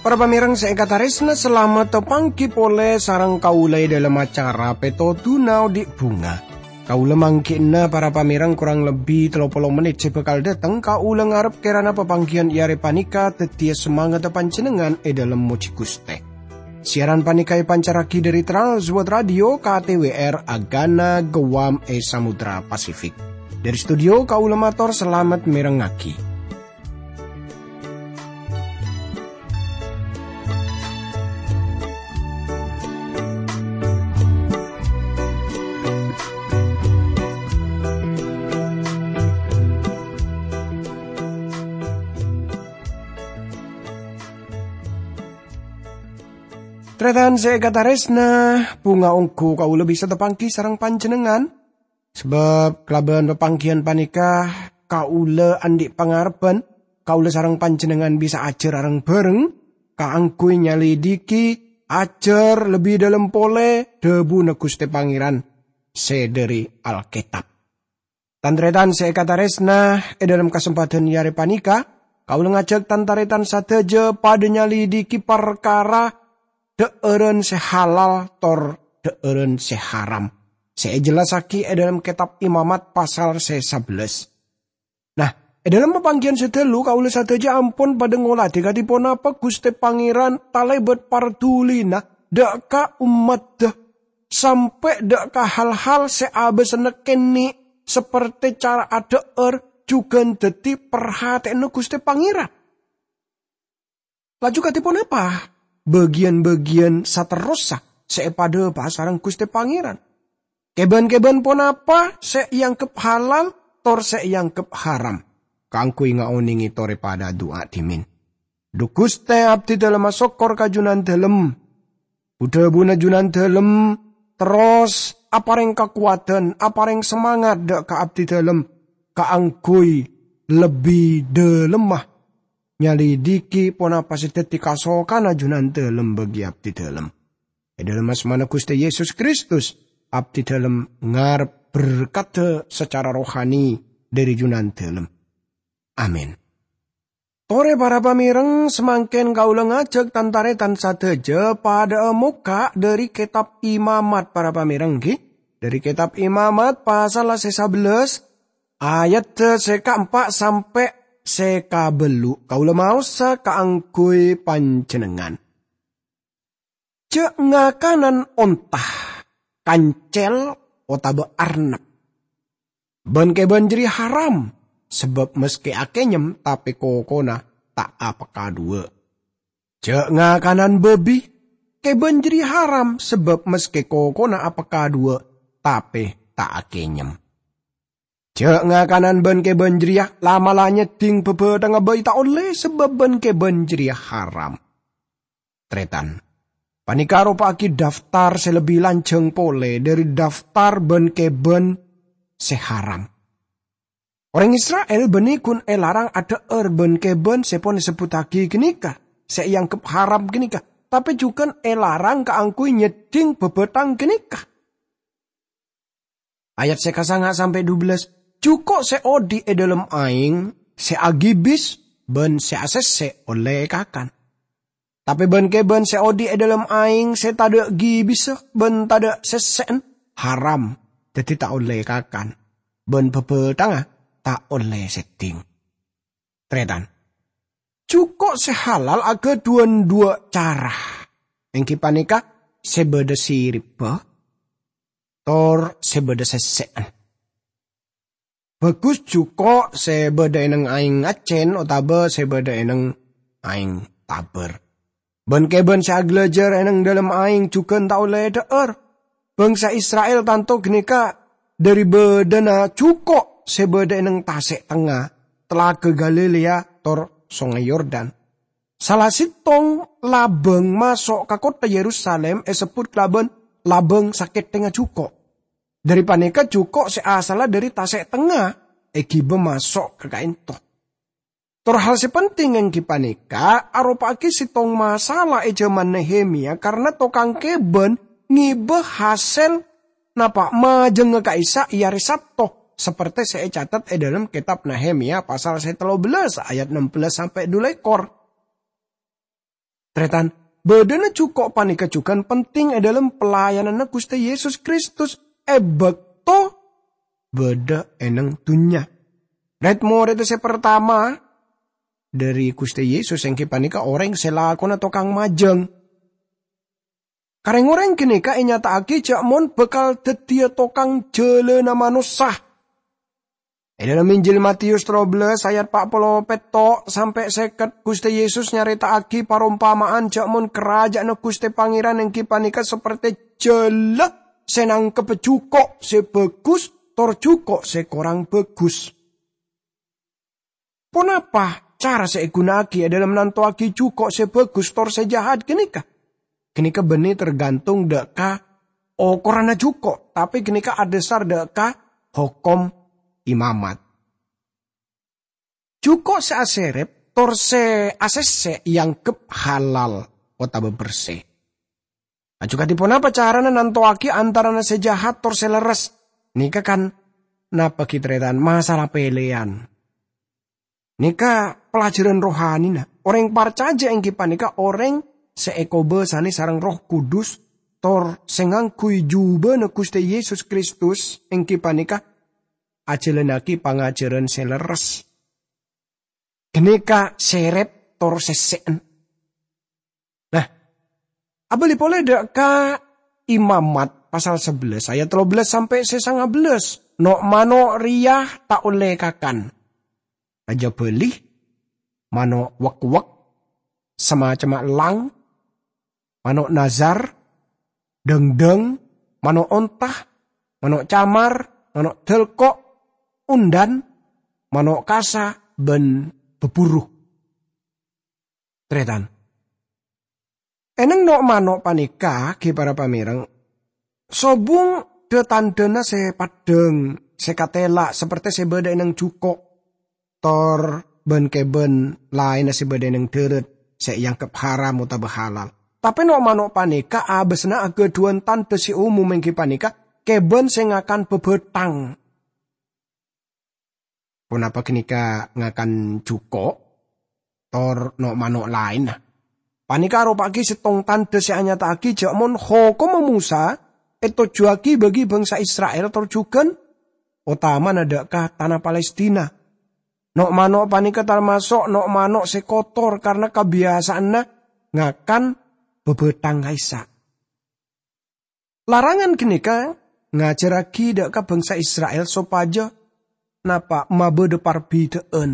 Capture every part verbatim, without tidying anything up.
Para pamèrèng sè èkatarèsna, salamet tapangghi polè sareng kaulâ è dhâlem acara Pètodhuna Odi' Bhunga. Kaulâ mangghi'na para pamèrèng korang lebbi tello polo mennit sè bhâkal dâteng. Kaulâ ngarep kèrana papangghiyân è arè panèka dhâddhiyâ samangatta panjhennengngan è dhâlem mojhi Ghustè. Siaran panèka èpancarraghi dhâri Trans World Radio K T W R Agana Guam è Samudra Pasifik. Dhâri studio kaulâ mator salamet mèrengngaghi. Tarètan sè èkatarèsna, bhunga ongghu kaulâ bisa tapangghi sareng panjhennengngan. Sabâb kalabân papangghiyân panèka, kaulâ andi' pangarebbhân, kaulâ sareng panjhennengngan bisa ajhâr areng-bhâreng kaangghuy nyalidiki, ajhâr lebbi dhâlem polè dhâbuna Ghustè Pangèran sè dhâri Alkètab. Tan-tarètan sè èkatarèsna, è dhâlem kasempadhân è arè panèka, kaulâ ngajhâk tan-tarètan sadhâjâ padâ nyalidiki parkara dhâ'ârân sè halal tor dhâ'ârân sè haram, sè èjellassaghi è dhâlem Kètab Imamat pasal sè sabellâs. Nah, è dhâlem papangghiyân sè dhâlu, kaulâ sadhâjâ ampon padâ ngolatè kadhi ponapa Ghustè Pangèran talèbât pardulina dhâ' ka ommaddhâ, sampè' dhâ' ka hal-hal sè abâsana kènè', sapertè cara adhâ'âr, jhughân dhâddhi parhatè'anna Ghustè Pangèran. Laju kadhi ponapa bâgiyân-bâgiyân saterrossa sè èpadhâpa'a sareng Ghustè Pangèran? Kèbân-kèbân ponapa sè èangghep halal tor sè èangghep haram kaangghuy ngaonèngè torè padâ adu'a dhimèn. Dhu Ghustè, abdhidhâlem asokkor ka Jhunandhâlem. Bu-dhâbuna Jhunandhâlem terros aparèng kakowadhân, aparèng samangat dhâ' ka abdhidhâlem kaangghuy lebbi dhâlemma nyalidiki ponapa sè dhâddhi kasokanna Jhunandhâlem bagi abdhidhâlem. È dhâlem asmana Ghustè Yesus Kristus, abdhidhâlem ngarep berkadda sacara rohani dhâri Jhunandhâlem. Amin. Torè para pamèrèng, samangkèn kaulâ ngajhâk tan-tarètan sadhâjâ padâ'â mokka' dhâri Kètab Imamat, para pamèrèng, ghi. Dhâri Kètab Imamat pasal sè sabellâs, ayadda sè kaempa' sampè' sè kabâllu'. Kaulâ maosa kaangghuy panjhennengngan. Jhâ' ngakanan onta, kancèl, otabâ arnep. Bân-kèbân jârèya haram, sabâb maskè akènyem, tapè kokona ta' apakadhuwâ'. Jhâ' ngakanan bâbi, kèbân jârèya haram, sabâb maskè kokona apakadhuwâ', tapè ta' akènyem. Jhâ' ngakanan bân-kèbân jârèya, la'-mala' nyèddhing bhâbhâthanga bhâi ta' ollè, sabâb bân-kèbân jârèya haram. Tarètan. Panèka aropa'aghi daftar sè lebbi lanjhâng polè dhâri daftar bân-kèbân sè haram. Orèng Isra'il bânnè ghun èlarang adhâ'âr bân-kèbân sè pon èsebbhuttaghi ghânèka, sè èangghep haram ghânèka, tapè jhughân èlarang kaangghuy nyèddhing bhâbhâthang ghânèka. Ayat sè kasanga sampè' dubellâs, "Jhuko' sè odi' è dhâlem aèng, sè agibis, bân sè asèssè' ollè èkakan. Tapè bân-kèbân sè odi' è dhâlem aèng sè tadâ' gibissa bân tadâ' sèssè'an, haram, dhâddhi ta' ollè èkakan, bân bhâbhâthanga ta' ollè sèddhing." Tarètan. Jhuko' sè halal aghâdhuwân dhuwâ' cara, èngghi panèka sè bâdâ siribbhâ, tor sè bâdâ sèssè'an. Bhâghus jhuko' sè bâdâ è nèng aèng accèn otabâ sè bâdâ è nèng aèng tabâr. Bân-kèbân sè aghâlâjâr è nèng dhâlem aèng jhughân ta' ollè èdhâ'âr. Bhângsa Isra'il tanto ghânèka dhâri bâdâna jhuko' sè bâdâ è nèng tasè' tengnga Talaga Galilea tor Songay Yordan. Sala sèttong labâng maso' ka kottha Yerusalim èsebbhut kalabân Labâng Sakètthengnga Jhuko'. Dhâri panèka jhuko' sè asalla dhâri tasè' tengnga èghibâ maso' ka ka'ènto. Tor hal sè penting èngghi panèka aropa'aghi sèttong masalah è jhâman Nehemia, karna tokang kèbân ngibâ hasèl napa majângnga ka'issa' è arè Sabto, saperte sè ècatet è dhâlem kètab Nehemia pasal sè tello bellâs ayat nem bellâs sampè' du lèkor. Tarètan, bâdâna jhuko' panèka jhughân penting è dhâlem pelayananna Ghustè Yesus Kristus è bâkto bâdâ è neng dhunnya. Red-moredda sè partama dhâri Ghustè Yesus èngghi panèka orèng sè lakona tokang majâng. Ka rèng-orèng ghânèka ènyata'aghi jhâ' mon bhâkal dhâddhiyâ tokang jhâlânna manossa. È dhâlem Injil Matius tello bellâs ayat pa' polo pètto' sampè' sèket, Ghustè Yesus nyarèta'aghi parompama'an jhâ' mon Karaja'anna Ghustè Pangèran èngghi panèka saperte jhâlâ sè nangkebbhâ jhuko' sè bhâghus tor jhuko' sè korang bhâghus. Ponapa cara sè èghuna'aghi è dhâlem nantowaghi jhuko' sè bhâghus tor sè jahat ghânèka? Ghânèka bânnè tergantung dhâ' ka okoranna jhuko', tapè ghânèka adhâsar dhâ' ka hokom imamat. Jhuko' sè asèrep tor sè asèssè èangghep halal otabâ bersè. Laju kadhi ponapa carana nantowaghi antarana sè jahat tor sè lerres? Nèka kan napa ghi tarètan masalah pèlèyan. Nèka pelajaran rohanina. Orèng parcajâ èngghi panèka orèng sè èkobâsanè sareng Erroh Kudus, tor sè ngangghuy jhubâna Ghustè Yesus Kristus èngghi panèka ajhâlânnaghi pangajhârân sè lerres. Ghânèka sèrep tor sèssè'en. Nah, abâli polè dhâ' ka Imamat pasal sabellâs ayat tello bellâs sampè' sè sanga bellâs. No'-mano' rèya ta' ollè kakan. Rajâ bâli, mano' wek-wek, samacemma ellang, mano' nazar, dhâng-dhâng, mano' onta, mano' camar, mano' dâlko', onḍhân, mano' kasa, bân bhâbhuru. Tarètan. È neng no'-mano' panèka, ghi para pamèreng, sobung dhâ-tandhâna sè peḍḍhâng, sè katèla', saperte sè bâḍâ è neng jhuko', tor bân kèbân laènna sè bâḍâ è neng ḍârât, sè èangghep haram otabâ halal. Tapè no'-mano' panèka abâsna aghâḍhuwân tandhâ sè omom èngghi panèka kèbân sè ngakan bhâbhâthang. Ponapa ghânèka ngakan jhuko', tor no'-mano' laènna? Panèka aropa'aghi sèttong tandhâ sè anyata'aghi jhâ' mon hokomma Mosa ètojjhuwâghi bagi bangsa Isra'il tor jhughân, otamana ḍâ' ka tana Palestina. No'-mano' panèka tamaso' no'-mano' sè kotor karna kabiyasa'anna ngakan bhâbhâthang ka'issa'. Larangan ghânèka ngajhârraghi ḍâ' ka bangsa Isra'il sopajâ napa mabâḍâ parbidhâ'ân.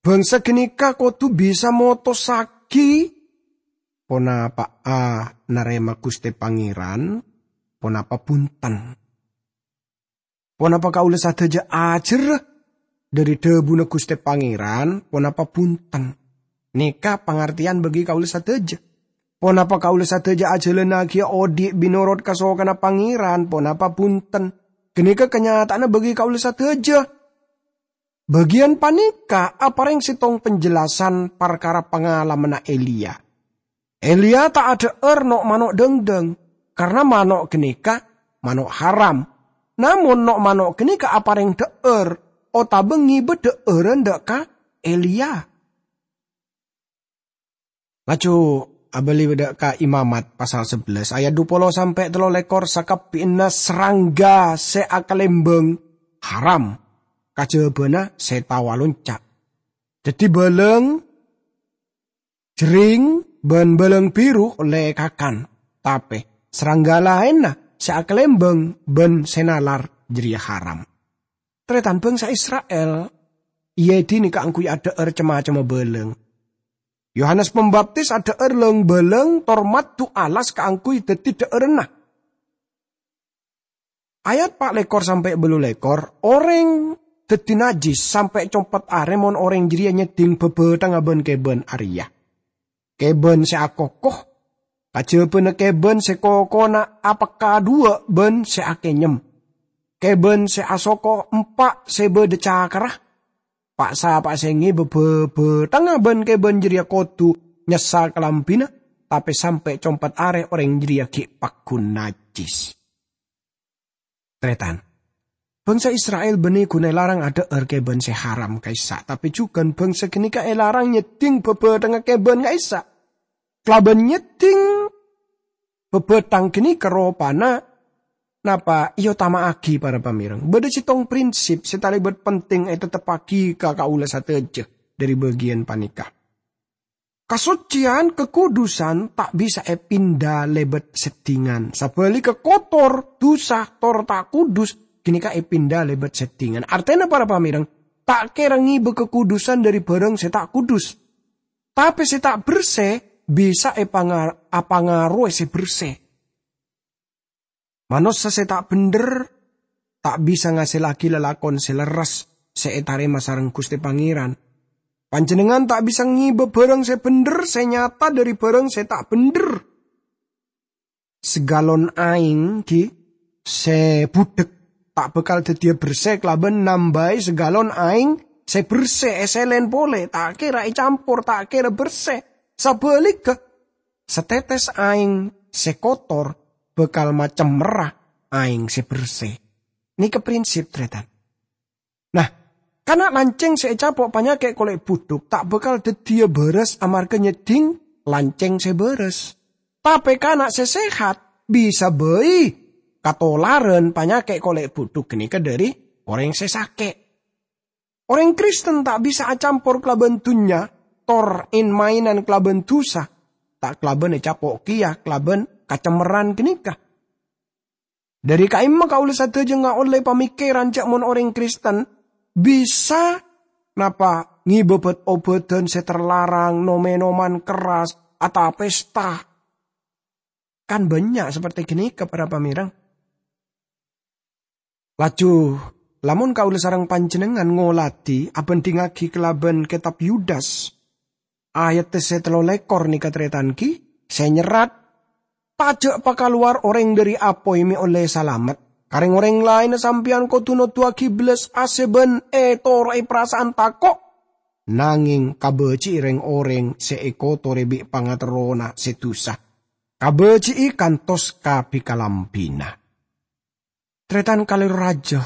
Bangsa ghânèka kodhu bisa motossaghi ponapa'a narèma Ghustè Pangèran, ponapa bhunten. Ponapa kaulâ sadhâjâ ajhârrâ ḍâri dhâbuna Ghustè Pangèran, ponapa bhunten. Nèka pangartèyan bagi kaulâ sadhâjâ. Ponapa kaulâ sadhâjâ ajhâlânnaghi oḍi' binorodh kasokanna Pangèran, ponapa bhunten. Ghânèka kanyata'anna bagi kaulâ sadhâjâ. Bâgiyân panèka aparèng sèttong panjhâllasan parkara pangalamanna Eliya. Eliya ta' aḍhâ'âr no'-mano' ḍângḍâng, karna mano' ghânèka mano' haram. Namong no'-mano' ghânèka aparèng ḍhâ'âr otabâ ngibâ ḍhâ'ârân ḍâ' ka Eliya. Laju abâli ḍâ' ka Imamat pasal sabellâs ayat dhu polo sampè' tello lèkor, sakabbhiyânna srangga sè akalèmbâng haram, kajhâbhâna sè tao alonca'. Dhâddhi bâlâng, jhering, bân bâlâng biru ollè èkakan, tapè srangga laènna sè akalèmbâng bân sè nalar jârèya haram. Tarètan bangsa Isra'il, iyâ, è dinna kaangghuy aḍhâ'âr cem-macemma bâlâng. Yohanes Pembaptis aḍhâ'âr lâng-bâlâng tor maddhu alas kaangghuy dhâddhi ḍhâ'ârânna. Ayat pa' lèkor sampè' bâllu lèkor, orèng dhâddhi najjhis sampè' compet arè mon orèng jârèya nyèddhing bhâbhâthangnga bân kèbân arèya. Kèbân sè akoko, kajhâbhâna kèbân sè kokona apekka dhuwâ' bân sè akènyem. Kèbân sè asoko empa' sè bâḍâ cakarra, Pa'-sapa'a sè ngèbâ bhâbhâthengnga bân-kèbân jârèya kodhu nyassa kalambhina, tapè sampè' compet arè orèng jârèya ghi' paggun najjhis. Tarètan, bhângsa Isra'il bânnè ghun èlarang adhâ'âr kèbân sè haram ka'issa', tapè jhughân bhângsa ghânèka èlarang nyèddhing bhâbhâthengnga kèbân ka'issa'. Kalabân nyèddhing bhâbhâthang ghânèka ropana napa èotama'aghi, para pamèreng. Bâdâ sèttong prinsip sè talèbât penting ètetteppaghi ka kaulâ sadhâjâ dhâri bâgiyân panèka. Kasoccèyan, kakudusan ta' bisa èpinda lèbât seddhingan. Sabhâligghâ, kotor, dhusa, tor ta' kudus ghânèka èpinda lèbât seddhingan. Artèna, para pamèreng, ta' kèra ngèbâ kakudusan dhâri bhârâng sè ta' kudus. Tapè sè ta' bersè bisa èpanga-, apangaroè sè bersè. Manossa sè ta' bhendher ta' bisa ngasèllaghi lalakon sè lerres sè ètarèma sareng Ghustè Pangèran. Panjhennengngan ta' bisa ngèbâ bhârâng sè bhendher sè nyata dhâri bhârâng sè ta' bhendher. Saghâlon aèng ghi' sè budhek ta' bhâkal dhâddhiyâ bersè kalabân nambâi saghâlon aèng sè bersè èsèlèn polè, ta' kèra ècampor, ta' kèra bersè. Sabhâligghâ, satètès aèng sè kotor bhâkal macemmerra aèng sè bersè. Nèka prinsip, tarètan. Nah, kana' lancèng sè ècapo' panyakè' kolè' budhuk ta' bhâkal dhâddhiyâ bârâs amarghâ nyèddhing lancèng sè bârâs. Tapè kana' sè sehat bisa bhâi katolarân panyakè' kolè' budhuk ghânèka dhâri orèng sè sakè'. Orèng Kristen ta' bisa acampor kalabân dhunnya, tor en-maenan kalabân dhusa, ta' kalabân ècapo' kèya kalabân kacemmerran ghânèka. Dhâri ka'imma kaulâ sadhâjâ ngaollè pamèkkèran jâ' mon orèng Kristen bisa, napa, ngèbâ bât-obâdhân sè terlarang, nom-ènoman kerras, atapesta. Kan bânnya' saperte ghânèka, para pamèreng. Laju, lamon kaulâ sareng panjhennengngan ngoladhi abhândhingngaghi kalabân kètab Yudas, ayat sè tello lèkor nèka, tarètan, ghi, sè nyerrat, "Tajâ' pakalowar orèng dhâri apoy mè' ollè salamet. Ka rèng-orèng laènna sampèyan kodhu noduwâghi bellas asè bân ètoro'è parasa'an tako', nangèng kabâji'i rèng-orèng sè èkotorè bi' pangaterrona sè dhusa. Kabâji'i kantos ka bi-kalambhina." Tarètan kalèro rajâ,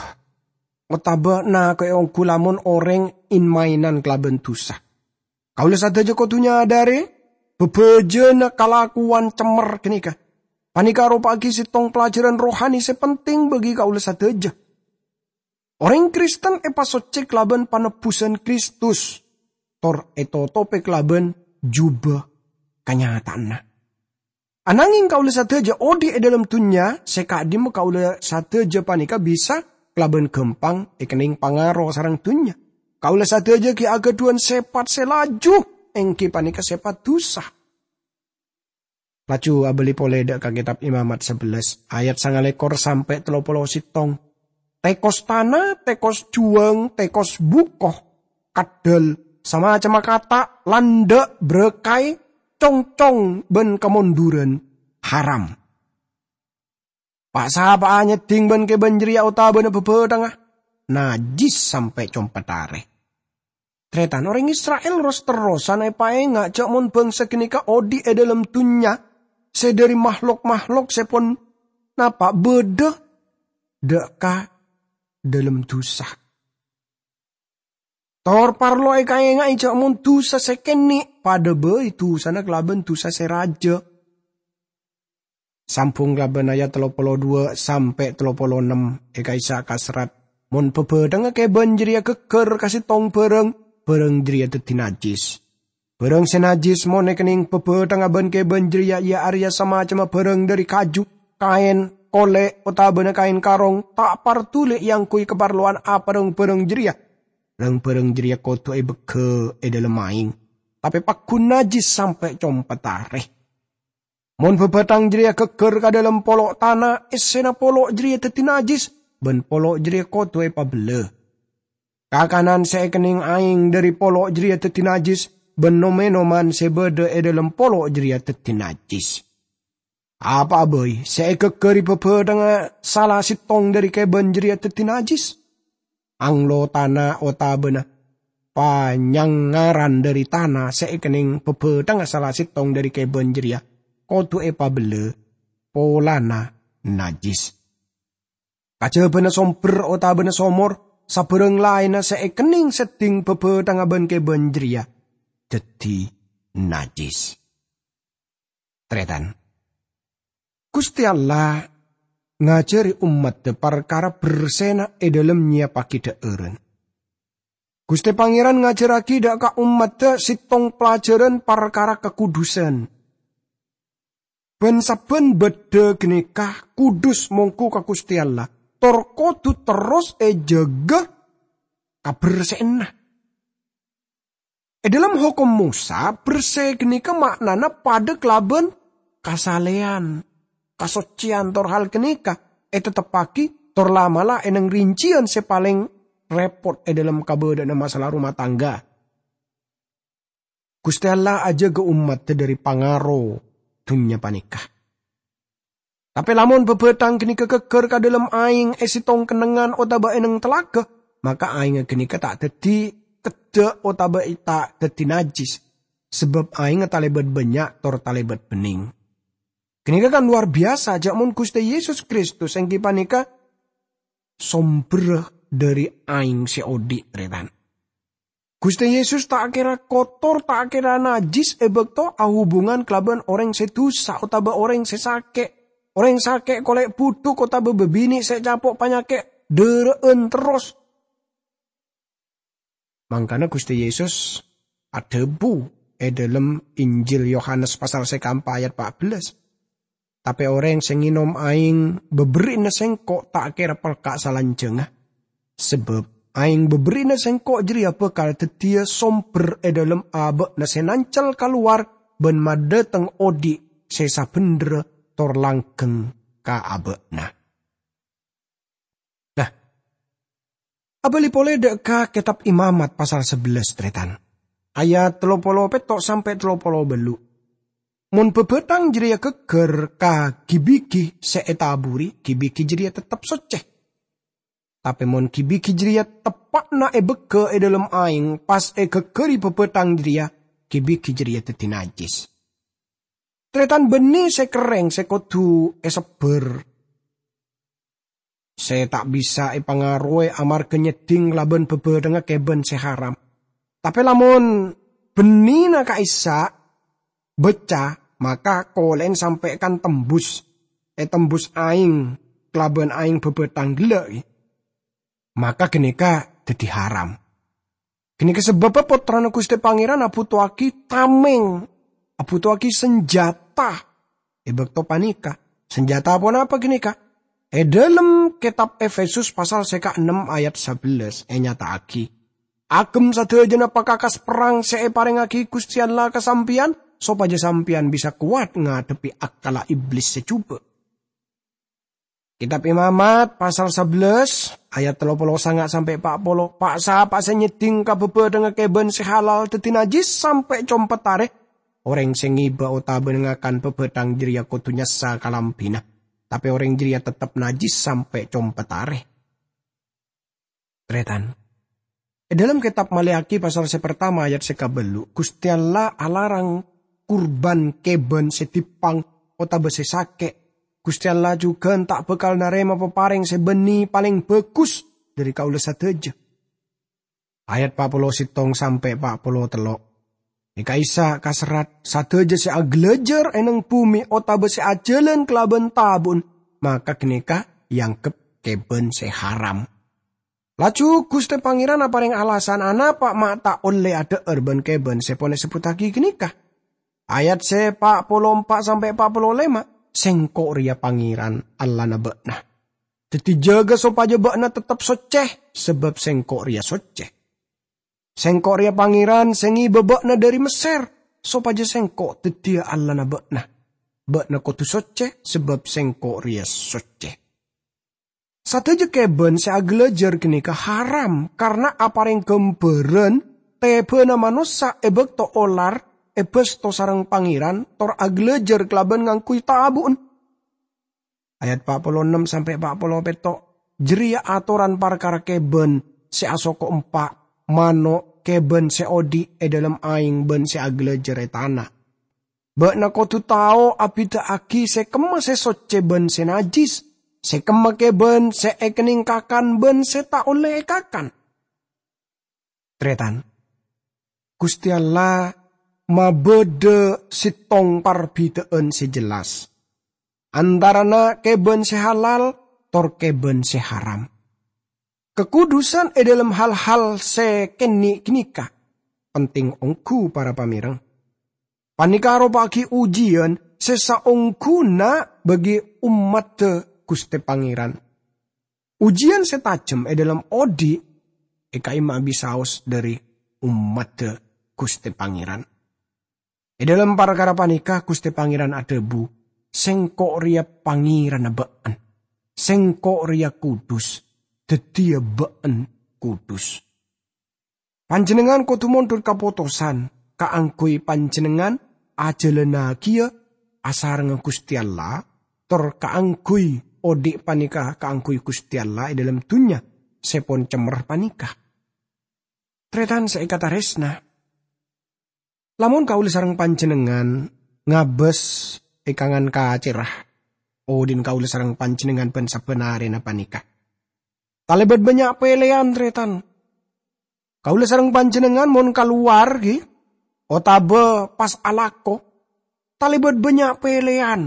otabâ nako'è ongghu lamon orèng en-maenan kalabân dhusa. Kaulâ sadhâjâ kodhu nyadârè bhâbhâjâna kalakowan cemmer ghânèka. Panèka aropa'aghi sèttong pelajaran rohani sè penting bagi kaulâ sadhâjâ. Orèng Kristen èpasoccè kalabân panebbusan Kristus, tor ètotopè kalabân jubâ kanyataanna. Anangèng kaulâ sadhâjâ odi' è dhâlem dhunnya, sè ka'dimma kaulâ sadhâjâ panèka bisa kalabân ghâmpang èkennèng pangaro sareng dhunnya. Kaulâ sadhâjâ ghi' aghâdhuwân sèpat sè laju, èngghi panèka sèpat dhusa. Laju abâli polè dâ' ka Kètab Imamat sabellâs, ayat sangalèkor sampè' tello polo sèttong. Tèkos tana, tèkos juwâng, tèkos buko, keddhâl, samacemma kata', landhâ', bârâkaè, congcong, bân kamondhurân haram. Pa'-sapa'a nyèddhing bân-kèbân jârèya otabâna bhâbhâthengnga, najjhis sampè' compet arè. Tarètan, orèng Isra'il ros-terrosan èpaènga' jâ' mon bhângsa ghânèka odi' è dhâlem dhunnya sè dhâri mahlok-mahlok sè pon napa' bâdâ dâ' ka dhâlem dhusa. Tor parlo èkaènga'è jâ' mon dhusa sè kènè' padâ bhâi dhusana kalabân dhusa sè rajâ. Sambhung kalabân ayat tello polo duwâ' sampè' tello polo ennem è ka'issa' kaserrat, "Mon bhâbhâthengnga kèbân jârèya ghâgghâr ka sèttong bârâng, bârâng jârèya dhâddhi najjhis. Bârâng sè najjhis mon èkennèng bhâbhâthengnga bân kèbân jârèya, iyâ arèya samacemma bârâng dhâri kaju, kaèn, kolè', otabâna kaèn karong, ta' partollè èangghuy kaparlowan apa rang-bârâng jârèya. Rang-bârâng jârèya kodhu èbâgghâ è dhâlem aèng, tapè paggun najjhis sampè' compet arè. Mon bhâbhâthang jârèya ghâgghâr ka dhâlem polo' tana, èssèna polo' jârèya dhâddhi najjhis, bân polo' jârèya kodhu èpabellâ. Kakanan sè èkennèng aèng dhâri polo' jârèya dhâddhi najjhis, bân nom-ènoman sè bâdâ è dhâlem polo' jârèya dhâddhi najjhis." Apa'a bhâi sè èghâgghâri bhâbhâthengnga sala sèttong dhâri kèbân jârèya dhâddhi najjhis? Anglo tana otabâna panyangaran dhari tana sè èkennèng bhâbhâthângnga sala sèttong dhari kèbân jârèya kodhu èpabellâ polana najjhis. Kajhâbhâna sombher otabâna somor, sabârâng laènna sè èkennèng seddhing bhâbhâthângnga bân kèbân jârèya dhâddhi najjhis. Tarètan, Ghustè Allah ngajhâri ommaddhâ parkara bersèna è dhâlem nyèyappaghi dhâ'ârân. Ghustè Pangèran ngajhârraghi dhâ' ka ommaddhâ sèttong pelajaran parkara kakudusan. Bân-sabbhân bâddhâ ghânèka kudus mongghu ka Ghustè Allah, tor kodhu terros èjâgâ kabersè'anna. È dhâlem Hokom Mosa, bersè ghânèka ma'nana padâ kalabân kasalèyan, kasoccèyan, tor hal ghânèka ètetteppaghi tor la'-mala' è nèng rinciyan sè palèng rèpot è dhâlem kabâdâ'ânna masalah rumah tangga. Ghustè Allah ajâgâ ommaddhâ dhâri pangaro dhunnya panèka. Tapè lamon bhâbhâthang ghânèka ghâgghâr ka dhâlem aèng è sèttong kennengngan otabâ è nèng talaga, maka aèngnga ghânèka ta' dhâddhi keddhâ' otabâ ta' dhâddhi najjhis, sabâb aèngnga talèbât bânnya' tor talèbât bennèng. Ghânèka kan lowar biyasa, jhâ' mon Ghustè Yesus Kristus èngghi panèka sombherra dhâri aèng sè odi', tarètan. Ghustè Yesus ta' kèra kotor, ta' kèra najjhis è bâkto ahubungan kalabân orèng sè dusa otabâ orèng sè sakè'. Orèng sakè' kolè' budhuk otabâ bâbinè' sè capo' panyakè' dârâ'ân terros. Mangkana Ghustè Yesus adhâbu è dhâlem Injil Yohanes pasal sè kaempa' ayat pa' bellâs, "Tapè orèng sè ngènom aèng bâberri'na Sèngko' ta' kèra pelka' salanjhângnga, sabâb aèng bâberri'na Sèngko' jârèya bhâkal dhâddhiyâ sombher è dhâlem abâ'na sè nancel kalowar bân madhâteng odi' sè sabhendherra tor langghâng ka abâ'na." Nah, abâli polè dhâ' ka Kètab Imamat pasal sabellâs, tarètan. Ayat tello polo pètto' sampè' tello polo bâllu'. Mon bhâbhâthang jârèya ghâgghâr ka ghi-bighi sè ètaburi, ghi-bighi jârèya teptep soccè. Tapè mon ghi-bighi jârèya teppa'na èbâgghâ è dhâlem aèng, pas èghâgghâri bhâbhâthang jârèya, ghi-bighi jârèya dhâddhi najjhis. Tarètan, bânnè sè kerrèng sè kodhu èsebbhâr, sè ta' bisa èpangarowè amarghâ nyèddhing kalabân bhâbhâthângnga kèbân sè haram. Tapè lamon bânnèna ka'issa' bâcca, maka kolè'en sampè' kan tembus, ètembus aèng kalabân aèng bhâbhâthang ghellâ', maka ghânèka dhâddhi haram. Ghânèka sabâbbhâ Pottrana Ghustè Pangèran abhutoaghi tamèng, abhutoaghi sanjhâta è bâkto panèka. Sanjhâta ponapa ghânèka? È dhâlem Kètab Efesus pasal sè kaennem ayat sabellâs ènyata'aghi, "Aghem sadhâjâna pakakas perrang sè èparèngaghi Ghustè Allah ka sampèyan, sopajâ sampèyan bisa kowat ngadhebbhi akkalla Iblis sè jhubâ'." Kètab Imamat, pasal sabellâs, ayat tello polo sanga' sampè' pa' polo, "Pa'-sapa'a sè nyèddhing ka bhâbhâthângnga kèbân sè halal dhâddhi najjhis sampè' compet arè. Orèng sè ngèbâ otabâna ngakan bhâbhâthang jârèya kodhu nyassa kalambhina, tapè orèng jârèya teptep najjhis sampè' compet arè." Tarètan. È dhâlem Kètab Maleaki pasal sè partama ayat sè kabâllu', Ghustè Allah alarang kurban kèbân sè dippang otabâ sè sakè'. Ghustè Allah jhughân ta' bhâkal narèma paparèng sè bânnè palèng bhâghus dhâri kaulâ sadhâjâ. Ayat pa' polo sèttong sampè' pa' polo tello'. È ka'issa' kaserrat, sadhâjâ sè aghâlâjâr è nèng bhumè otabâ sè ajhâlân kalabân tabu'en, maka ghânèka èangghep kèbân sè haram. Laju Ghustè Pangèran aparèng alasan anapa ma' ta' ollè adhâ'âr bân kèbân sè pon èsebbhuttaghi ghânèka. Ayat sè pa' polo empa' sampè' pa' polo lèma', "Sèngko' rèya Pangèran, Allahna bâ'na. Dhâddhi jâgâ sopajâ bâ'na teptep soccè, sabâb Sèngko' rèya soccè. Sèngko' rèya Pangèran sè ngèbâ bâ'na dhâri Messèr, sopajâ Sèngko' dhâddhiyâ Allahna bâ'na. Bâ'na kodhu soccè, sabâb Sèngko' rèya soccè." Sadhâjâ kèbân sè aghâlâjâr ghânèka haram, karna aparèng ghâmbhârân tèbhâna manossa è bâkto olar èbâsto sareng Pangèran tor aghâlâjâr kalabân ngangghuy tabu'en. Ayat pa' polo ennem sampè' pa' polo pètto', jârèya atoran parkara kèbân sè asoko empa', mano', kèbân sè odi' è dhâlem aèng bân sè aghâlâjâr è tana. Bâ'na kodhu tao abhidhâ'aghi sè kemma sè soccè bân sè najjhis, sè kemma kèbân sè èkennèng kakan bân sè ta' ollè èkakan. Tarètan, Ghustè Allah mabâdâ sèttong parbidhâ'ân sè jelas antarana kèbân sè halal tor kèbân sè haram. Kakudusân è dhâlem hal-hal sè kènè' ghânèka penting ongghu, para pamèreng. Panèka aropa'aghi ojiyân sè saongghuna bagi ommaddhâ Ghustè Pangèran. Ojiyân sè tajhem è dhâlem odi' èkaèma'a bi' saos dhâri ommaddhâ Ghustè Pangèran. È dhâlem parkara panèka, Ghustè Pangèran adhâbu, "Sèngko' rèya Pangèranna bâ'en. Sèngko' rèya kudus, dhâddhiyâ bâ'en kudus." Panjhennengngan kodhu mondhut kapotosan kaangghuy panjhennengngan ajhâlânnaghi asarengnga Ghustè Allah, tor kaangghuy odi' panèka kaangghuy Ghustè Allah è dhâlem dhunnya sè pon cemmer panèka. Tarètan sè èkatarèsna, lamon kaulâ sareng panjhennengngan ngabâs è kangan kacèrra, odi'na kaulâ sareng panjhennengngan bân sabbhân arèna panèka talèbât bânnya' pèlèyan, tarètan. Kaulâ sareng panjhennengngan mon kalowar, ghi, otabâ pas alako, talèbât bânnya' pèlèyan.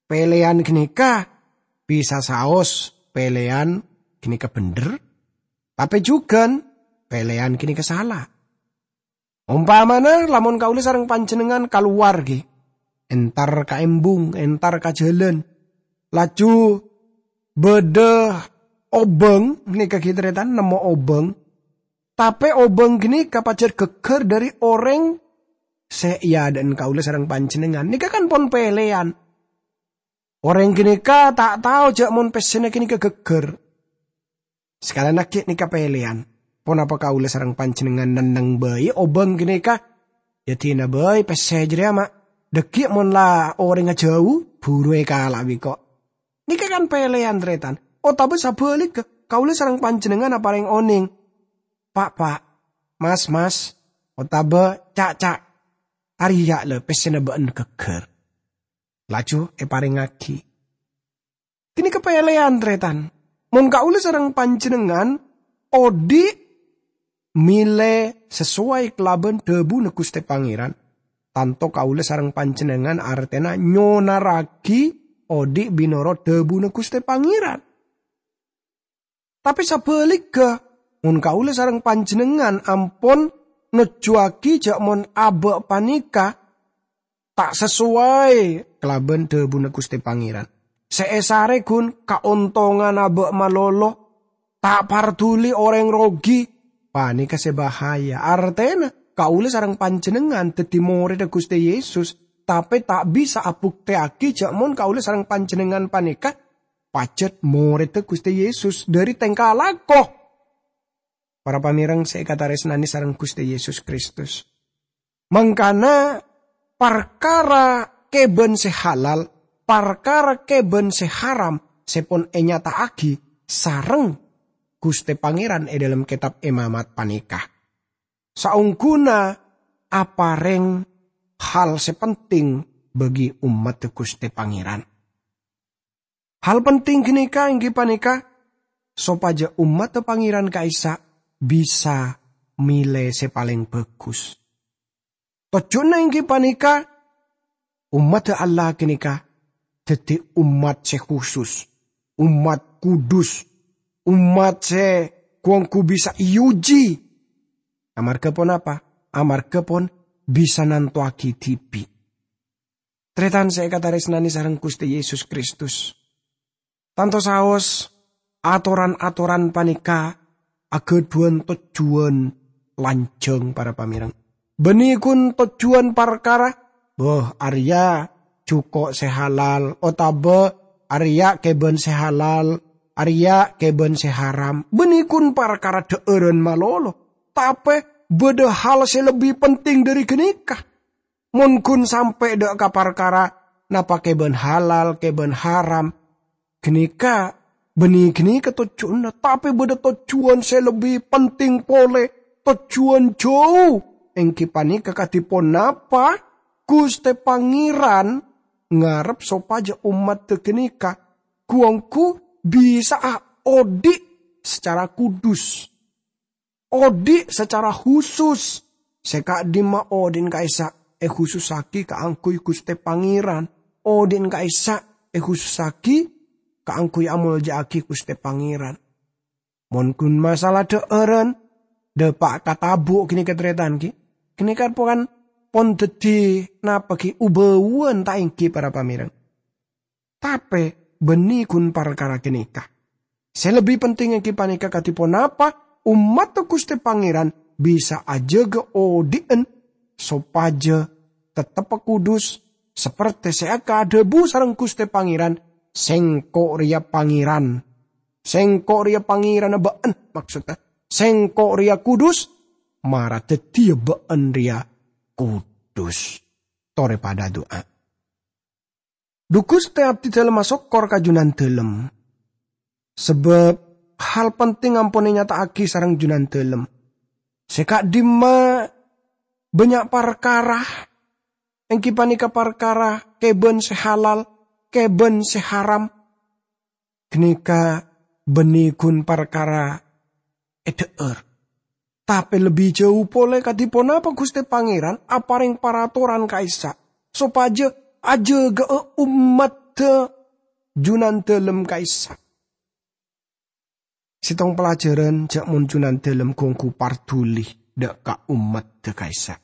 Pèlèyan ghânèka bisa saos pèlèyan ghânèka bhendher, tapè jhughân pèlèyan ghânèka sala. Ompamana, lamon kaulâ sareng panjhennengngan kalowar, ghi, entar ka embung, entar ka jhâlân, laju bâdâ obâng, nèka ghi tarètan, nemmo obâng. Tapè obâng ghânèka pajhât ghâgghâr dhâri orèng sè èadâ'ân kaulâ sareng panjhennengngan. Nèka kan pon pèlèyan. Orèng ghânèka ta' tao jhâ' mon pèssèna ghânèka ghâgghâr. Sakalèyan aghi' nèka pèlèyan. Ponapa kaulâ sareng panjhennengngan nenneng bhâi obâng ghânèka? Yâ dina bhâi pèssè jârèya, ma' dhâggi' mon la orèngnga jhâu, buru èkala' bi' ko'. Nèka kan pèlèyan, tarètan. Otabâ sabhâligghâ, kaulâ sareng panjhennengngan aparèng onèng, "Pa', Pa', Mas, Mas, otabâ Ca', Ca', arèya' la pèssèna bâ'en ghâgghâr." Laju èparèngngaghi. Ghânèka pèlèyan, tarètan. Mon kaulâ sareng panjhennengngan odi' mèlè sasowai kalabân dhâbuna Ghustè Pangèran, tanto kaulâ sareng panjhennengngan artèna nyonarraghi odi' bi' norot dhâbuna Ghustè Pangèran. Tapè sabhâligghâ, mon kaulâ sareng panjhennengngan ampon nojjuwâghi jhâ' mon abâ' panèka ta' sasowai kalabân dhâbuna Ghustè Pangèran, sè èsarè ghun kaontongan abâ' malolo, ta' parduli orèng rogi, panèka sè bahaya. Artèna, kaulâ sareng panjhennengngan dhâddhi morèdda Ghustè Yesus, tapè ta' bisa abuktèyaghi jhâ' mon kaulâ sareng panjhennengngan panèka pajhât morèdda Ghustè Yesus dhâri tèngka lako. Para pamèreng sè èkatarèsnanè sareng Ghustè Yesus Kristus. Mangkana parkara kèbân sè halal, parkara kèbân sè haram sè pon ènyata'aghi sareng Ghustè Pangèran è dhâlem Kètab Imamat panèka, saongghuna aparèng hal sè penting bagi ommaddhâ Ghustè Pangèran. Hal penting ghânèka èngghi panèka sopajâ ommaddhâ Pangèran ka'issa' bisa mèlè sè palèng bhâghus. Tojjhuna èngghi panèka ommaddhâ Allah ghânèka dhâddhi ommat sè khusus, ommat kudus, ommat sè ghu-ongghu bisa èojhi. Amarghâ ponapa? Amarghâ pon bisa nantowaghi dhibi'. Tarètan sè èkatarèsnanè sareng Ghustè Yesus Kristus. Tanto saos, atoran-atoran panèka aghâdhuwân tojjhuwân lanjhâng, para pamèreng. Bânnè ghun tojjhuwân parkara, "Bâh, arèya jhuko' sè halal," otabâ "Arèya kèbân sè halal, arèya kèbân sè haram." Bânnè ghun parkara dhâ'ârân malolo. Tapè bâdâ hal sè lebbi penting dhâri ghânèka. Mon ghun sampè' dâ' ka parkara napa kèbân halal, kèbân haram, ghânèka, bânnè ghânèka tojjhuwânna, tapè bâdâ tojjhuwân sè lebbi penting polè, tojjhuwân jâu, èngghi panèka kadhi ponapa Ghustè Pangèran ngarep sopajâ ommaddhâ ghânèka ghu-ongghu bisa'a odi' sacara kudus, odi' sacara husus. Sè ka'dimma odi'na ka'issa' èhusussaghi kaangghuy Ghustè Pangèran, odi'na ka'issa' èhusussaghi kaangghuy amolja'aghi Ghustè Pangèran. Mon ghun masalah dhâ'ârân, dâpa' ka tabu' ghânèka tarètan, ghi. Ghânèka pon, pon dhâddhi napa, ghi, u-bâuwân ta' èngghi, para pamèreng? Tapè bânnè ghun parkara ghânèka. Sè lebbi penting èngghi panèka kadhi ponapa ommaddhâ Ghustè Pangèran bisa ajâgâ odi'en sopajâ tettebbhâ kudus, sapertè sè èkadhâbu sareng Ghustè Pangèran, "Sèngko' rèya Pangèran." Sèngko' rèya Pangèranna bâ'en, maksodda, "Sèngko' rèya kudus, mara dhâddhiyâ bâ'en rèya kudus." Torè padâ adu'a. Dhu Ghustè, abdhidhâlem asokkor ka Junandhâlem, sabâb hal penting ampon ènyata'aghi sareng Junandhâlem. Sè ka'dimma bânnya' parkara, èngghi panèka parkara kèbân sè halal, kèbân sè haram. Ghânèka bânnè ghun parkara èdhâ'âr. Tapè lebbi jâu polè kadhi ponapa Ghustè Pangèran aparèng paratoran ka'issa', sopajâ ajâgâ'â ommaddhâ Junandhâlem ka'issa'. Sèttong palajhârân jhâ' mon Junandhâlem ghu-ongghu parduli dâ' ka ommaddhâ ka'issa'.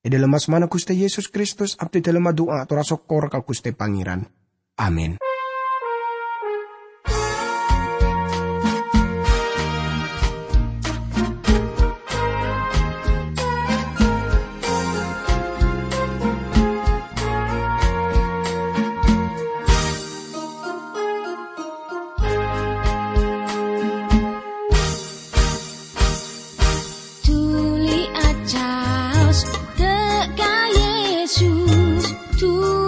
È dhâlem asmana Ghustè Yesus Kristus, abdhidhâlem adu'a ator asokkor ka Ghustè Pangèran. Amin. Dhuli acaos dâ' ka Yesus, dhuli